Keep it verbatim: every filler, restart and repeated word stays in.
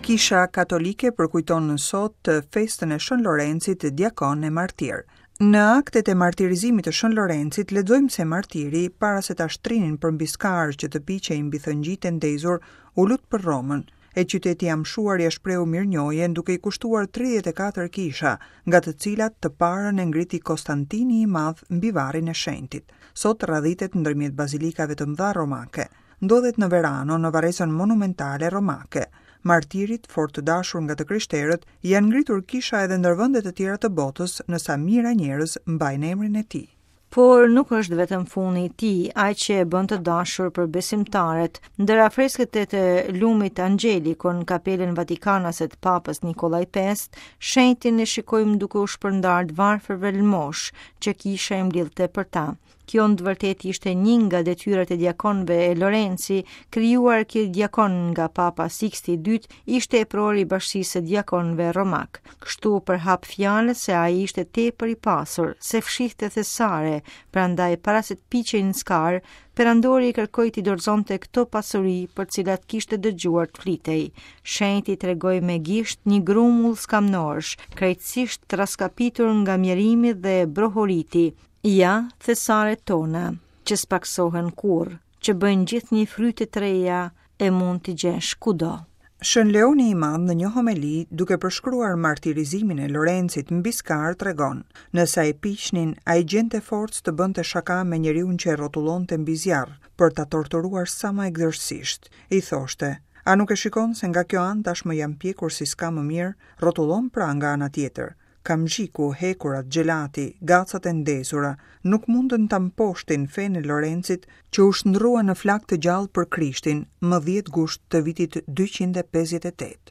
Kisha Katolike përkujton sot festën e Shën Lorencit, diakon e martir. Në aktet e martirizimit të Shën Lorencit lexojmë se martiri, para se ta shtrinin përmbi skarë që të piqej mbi thëngjit e ndezur, u lut për Romën, e qyteti i amshuar ia shprehu mirënjohjen duke i kushtuar tridhjetë e katër kisha, nga të cilat të parën e ngriti Konstantini i Madh mbi varrin e shenjtit. Sot radhitet ndërmjet bazilikave të mëdha romake. Ndodhet në Verano, në varrezën monumentale romake. Martirit, fort të dashur nga të krishterët, janë ngritur kisha edhe ndër vende të tjera të botës, në sa mijëra njerëz mbajnë emrin e tij. Por nuk është vetëm fundi i tij, ai që e bën të dashur për besimtarët. Ndër afresket e të lumit Angelico në kapelën Vatikanase të Papës Nikollaj pestë, shenjtin e shikojmë duke u shpërndarë të varfërve lëmosh që kisha i mblidhte për ta. Kjo në të vërtetë ishte një nga detyrat e diakonëve e Lorenci, krijuar ky diakon nga Papa Sixti i dytë, ishte epror i bashkësisë së diakonëve romak. Kështu përhap fjalët se ai ishte tepër i pasur, se fshihte thesare, prandaj para se të piqej në skarë, perandori i kërkoi t'i dorëzonte këto pasuri për cilat kishte dëgjuar të flitej. Shenjti tregoi me gisht një grumull skamnorësh, krejtësisht traskapitur nga mjerimi dhe brohoriti. Ja, thesaret tona, që s'paksohen kurrë, që bëjnë gjithnjë fryte të reja e mund t'i gjesh kudo. Shën Leoni i Madh në një homeli, duke përshkruar martirizimin e Lorencit mbi skarë, tregon: nëse ai piqnin, ai gjente forcë të bënte shaka me njeriun që e rrotullonte mbi zjarr për ta torturuar sa më egërsisht. I thoshte: a nuk e shikon se nga kjo anë tashmë jam pjekur si s'ka më mirë, rrotullon pra nga ana tjetër. Kamxhiku, hekurat, xhelati, gacat e ndezura, nuk mundën ta mposhtin fenë e Lorencit që u shndrua në flak të gjallë për Krishtin më dhjetë gusht të vitit dyqind e pesëdhjetë e tetë.